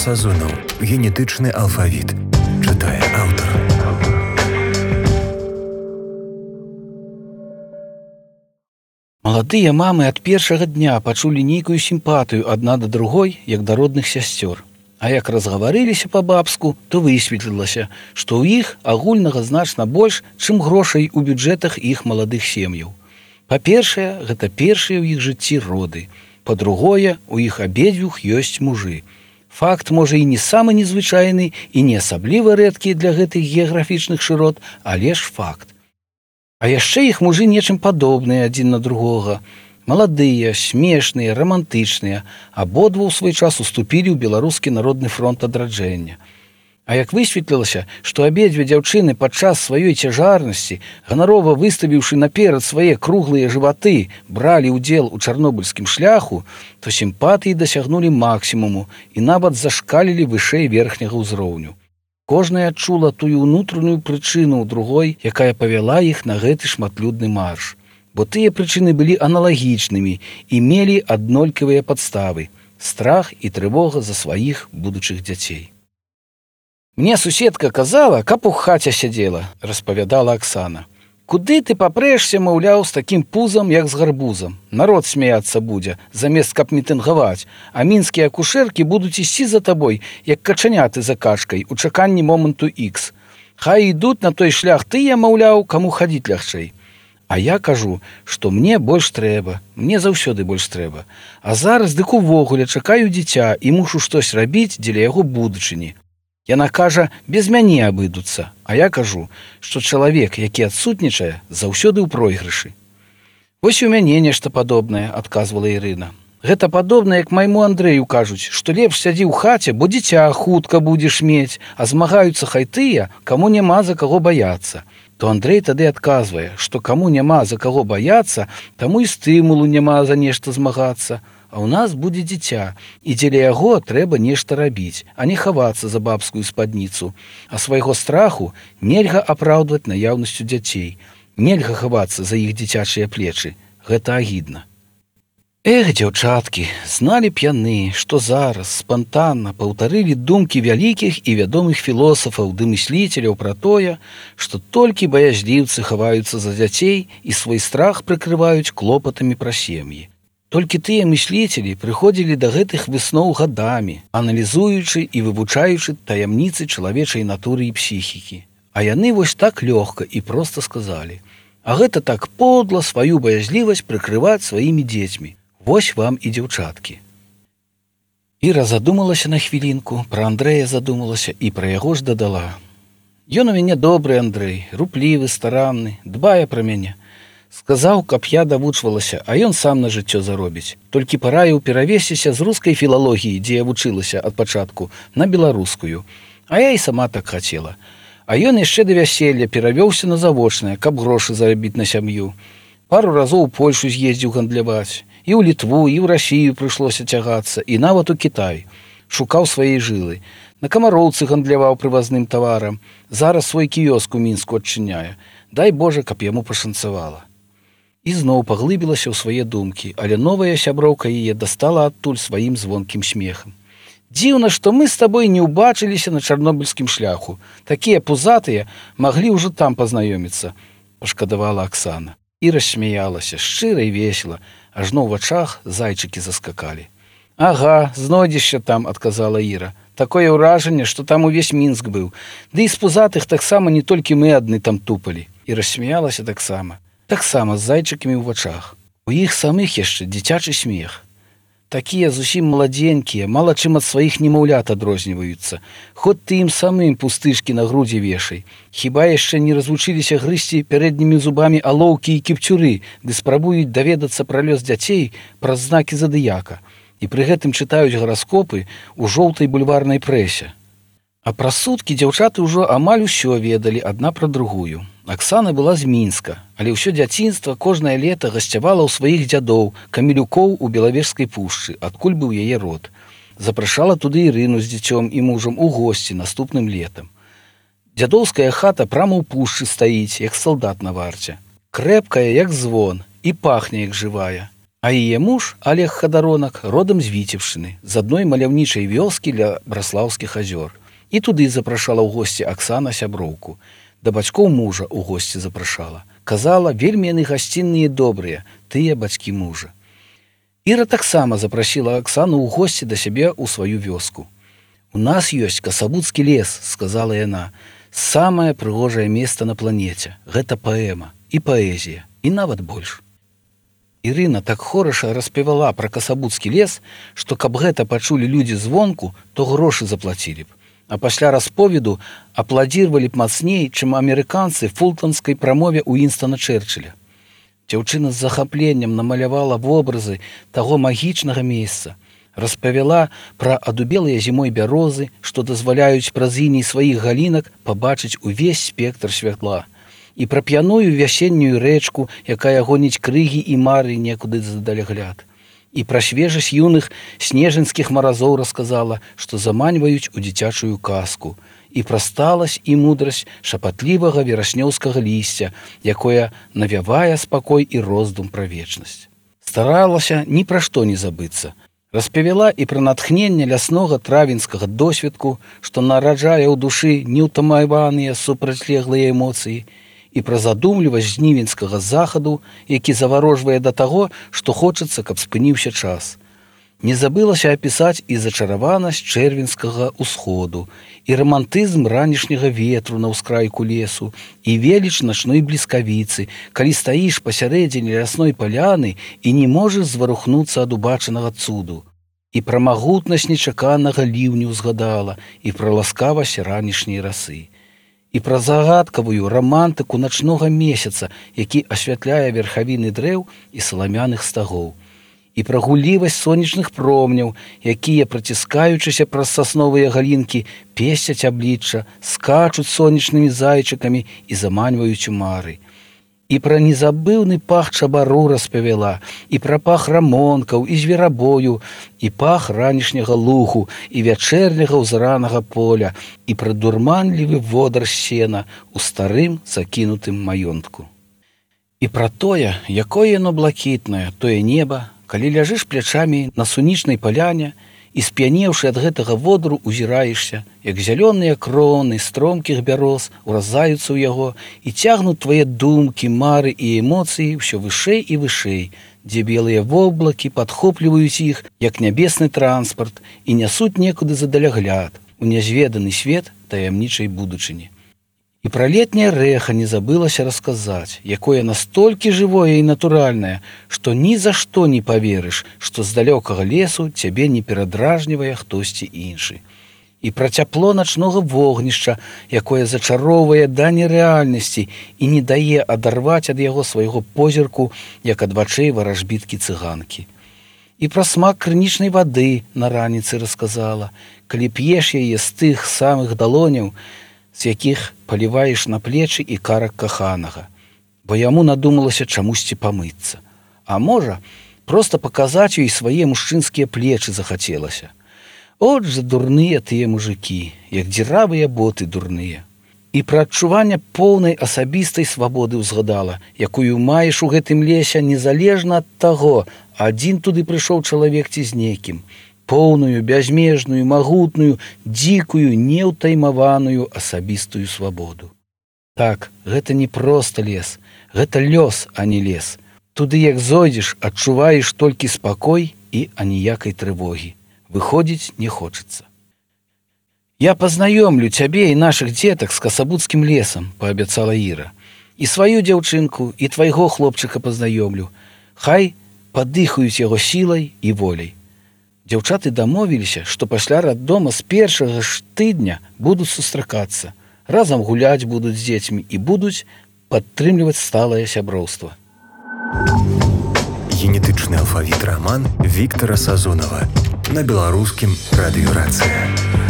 Сазонаў. Генетычны алфавіт. Чытае аўтар. Маладыя мамы ад першага дня пачулі нейкую сімпатыю адна да другой, як да родных сясцёр. А як разгаварыліся па-бабску, то высветлілася, што ў іх агульнага значна больш, чым грошай у бюджэтах іх маладых сем'яў. Па-першае, гэта першыя ў іх жыцці роды. Па-другое, у іх абедзвюх ёсць мужы. Факт, можа, і не самы незвычайны і не асабліва рэдкі для гэтых геаграфічных шырот, але ж факт. А яшчэ іх мужы нечым падобныя адзін на другога. Маладыя, смешныя, рамантычныя, абодва ў свой час уступілі ў Беларускі народны фронт адраджэння. А як высветлілася, што абедзве дзяўчыны падчас сваёй цяжарнасці, ганарова выставіўшы наперад свае круглыя жываты, бралі ўдзел у чарнобыльскім шляху, то сімпатыі дасягнулі максімуму і нават зашкалілі вышэй верхняга ўзроўню. Кожная адчула тую ўнутраную прычыну ў другой, якая павяла іх на гэты шматлюдны марш. Бо тыя прычыны былі аналагічнымі і мелі аднолькавыя падставы – страх і трывога за сваіх будучых дзяцей. «Мне суседка казала, каб у хаце сядзела», – распавядала Аксана. «Куды ты папрэшся, маўляў, з такім пузам, як з гарбузам? Народ смяяцца будзе, замест каб мітынгаваць, а мінскія акушэркі будуць ісці за табой, як качаняты за качкай, у чаканні моманту Х. Хай ідуць на той шлях тыя, маўляў, каму хадзіць лягчэй». А я кажу, што мне больш трэба, мне заўсёды больш трэба. А зараз дык увогуле чакаю дзіця і мушу штось рабіць дзеля яго будучыні. Яна кажа, без мяне абыдуцца, а я кажу, што чалавек, які адсутнічае, заўсёды ў пройгрышы. «Вось у мяне нешта падобнае», – адказвала Ірына. «Гэта падобна, як майму Андрэю кажуць, што лепш сядзі ў хаце, бо дзіця хутка будзеш мець, а змагаюцца хай тыя, каму няма за каго баяцца». То Андрэй тады адказвае, што каму няма за каго баяцца, таму і стымулу няма за нешта змагацца. А ў нас будзе дзіця, і дзеля яго трэба нешта рабіць, а не хавацца за бабскую спадніцу. А свайго страху нельга апраўдваць наяўнасцю дзяцей. Нельга хавацца за іх дзіцячыя плечы. Гэта агідна. Эх, дзяўчаткі, зналі б яны, што зараз спантанна паўтарылі думкі вялікіх і вядомых філосафаў ды мысліцеляў пра тое, што толькі баязліўцы хаваюцца за дзяцей і свой страх прыкрываюць клопатамі пра сем'і. Толькі тыя мысліцелі прыходзілі да гэтых высноў гадамі, аналізуючы і вывучаючы таямніцы чалавечай натуры і псіхікі. А яны вось так лёгка і проста сказалі: «А гэта так подла сваю баязлівасць прыкрываць сваімі дзецьмі. Вось вам і дзяўчаткі». Іра задумалася на хвілінку, пра Андрэя задумалася і пра яго ж дадала: «Ён у мяне добры Андрэй, руплівы, старанны, дбае пра мяне. Сказаў, каб я давучвалася, а ён сам на жыццё заробіць. Толькі параіў перавесціся з рускай філалогіі, дзе я вучылася ад пачатку, на беларускую. А я і сама так хацела. А ён яшчэ да вяселля перавёўся на завочнае, каб грошы зарабіць на сям'ю. Пару разоў у Польшу з'ездзіў гандляваць. І ў Літву, і ў Расію прыйшлося цягацца, і нават у Кітай. Шукаў свае жылы. На Камароўцы гандляваў прывазным таварам. Зараз свой кіёск у Мінску адчыняе. Дай Божа, каб яму пашанцавала». І зноў паглыбілася ў свае думкі, але новая сяброўка яе дастала адтуль сваім звонкім смехам. «Дзіўна, што мы з табой не ўбачыліся на чарнобыльскім шляху. Такія пузатыя маглі ўжо там пазнаёміцца», – пашкадавала Аксана. І рассмяялася, шчыра і весела, ажно ў вачах зайчыкі заскакалі. «Ага, знойдзешся там», – адказала Іра. «Такое ўражанне, што там увесь Мінск быў. Ды і з пузатых таксама не толькі мы адны там тупалі». І рассмяялася таксама з зайчыкамі ў вачах. У іх самых яшчэ дзіцячы смех. Такія зусім маладзенькія, мала чым ад сваіх немаўлят адрозніваюцца. Хоць ты ім самым пустышкі на грудзі вешай. Хіба яшчэ не развучыліся грызці пярэднімі зубамі алоўкі і кіпцюры, ды спрабуюць даведацца пра лёс дзяцей праз знакі задыяка. І пры гэтым чытаюць гараскопы ў жоўтай бульварнай прэсе. А праз суткі дзяўчаты ўжо амаль усё ведалі адна пра другую. Аксана была з Мінска, але ўсё дзяцінства кожнае лета гасцявала ў сваіх дзядоў, камелюкоў у Белавежскай пушчы, адкуль быў яе род. Запрашала туды Ірыну з дзіцём і мужам у госці наступным летам. Дзядоўская хата прама ў пушчы стаіць, як салдат на варце. Крэпкая, як звон, і пахне, як жывая. А яе муж, Олег Хадаронак, родам з Віцебшчыны, з адной маляўнічай вёскі ля Браслаўскіх азёр. І туды запрашала ў госці Аксана сяброўку. Да бацькоў мужа ў госці запрашала. Казала, вельмі яны гасцінныя і добрыя, тыя бацькі мужа. Іра таксама запрасіла Аксану ў госці да сябе ў сваю вёску. «У нас ёсць Касабуцкі лес», — сказала яна. «Самае прыгожае месца на планеце. Гэта паэма і паэзія, і нават больш». Ірына так хораша распявала пра Касабуцкі лес, што каб гэта пачулі людзі звонку, то грошы заплацілі б. А пасля расповеду апладзірвалі б мацней, чым амерыканцы фултонскай прамове Уінстана Чэрчыля. Дзяўчына з захапленнем намалявала вобразы таго магічнага месца, распавяла пра адубелыя зімой бярозы, што дазваляюць праз іней сваіх галінак пабачыць увесь спектр святла, і пра п'яную вясеннюю рэчку, якая гоніць крыгі і мары некуды задалягляд. І пра свежасць юных снежанскіх маразоў расказала, што заманьваюць у дзіцячую казку, і пра сталасць і мудрасць шапатлівага вераснёўскага лісця, якое навявае спакой і роздум пра вечнасць. Старалася ні пра што не забыцца. Распавяла і пра натхненне ляснога травеньскага досведку, што нараджае ў душы неўтамаваныя супрацьлеглыя эмоцыі, і пра задумлівасць жнівеньскага захаду, які заварожвае да таго, што хочацца, каб спыніўся час. Не забылася апісаць і зачараванасць чэрвеньскага ўсходу, і рамантызм ранішняга ветру на ўскрайку лесу, і веліч начной бліскавіцы, калі стаіш пасярэдзіне лясной паляны і не можаш зварухнуцца ад убачанага цуду. І пра магутнасць нечаканага ліўню ўзгадала, і пра ласкавасць ранішняй расы. І пра загадкавую рамантыку начнога месяца, які асвятляе верхавіны дрэў і саламяных стагоў. І пра гуллівасць сонечных промняў, якія, праціскаючыся праз сасновыя галінкі, песцяць аблічча, скачуць сонечнымі зайчыкамі і заманьваюць у мары. І пра незабыўны пах чабару распавяла, і пра пах рамонкаў, і зверабою, і пах ранішняга лугу, і вячэрняга ўзранага поля, і пра дурманлівы водар сена ў старым закінутым маёнтку. І пра тое, якое яно блакітнае, тое неба, калі ляжыш плячамі на сунічнай паляне і, сп'янеўшы ад гэтага водру, узіраешся, як зялёныя кроны стромкіх бяроз уразаюцца ў яго і цягнуць твае думкі, мары і эмоцыі ўсё вышэй і вышэй, дзе белыя воблакі падхопліваюць іх, як нябесны транспарт, і нясуць некуды задалягляд у нязведаны свет таямнічай будучыні. І пра летняе рэха не забылася расказаць, якое настолькі жывое і натуральнае, што ні за што не паверыш, што з далёкага лесу цябе не перадражнівае хтосьці іншы. І пра цяпло начнога вогнішча, якое зачароўвае да нерэальнасці і не дае адарваць ад яго свайго позірку, як ад вачэй варажбіткі цыганкі. І пра смак крынічнай вады на раніцы расказала, калі п'еш яе з тых самых далоняў, з якіх паліваеш на плечы і карак каханага, бо яму надумалася чамусьці памыцца. А можа, проста паказаць ёй свае мужчынскія плечы захацелася. От жа дурныя тыя мужыкі, як дзіравыя боты дурныя. І пра адчуванне поўнай асабістай свабоды ўзгадала, якую маеш у гэтым лесе незалежна ад таго, адзін туды прыйшоў чалавек ці з нейкім, поўную, бязмежную, магутную, дзікую, неўтаймаваную асабістую свабоду. Так, гэта не проста лес, гэта лёс, а не лес. Туды, як зойдзеш, адчуваеш толькі спакой і аніякай трывогі. Выходзіць не хочацца. «Я пазнаёмлю цябе і нашых дзетак з Касабуцкім лесам», – паабяцала Іра. «І сваю дзяўчынку, і твайго хлопчыка пазнаёмлю. Хай падыхаюць яго сілай і воляй». Дзяўчаты дамовіліся, што пасля раддома з першага ж тыдня будуць сустракацца, разам гуляць будуць з дзецьмі і будуць падтрымліваць сталае сяброўства. Генетычны алфавіт раман Віктара Сазонава на беларускім радыёрацыі.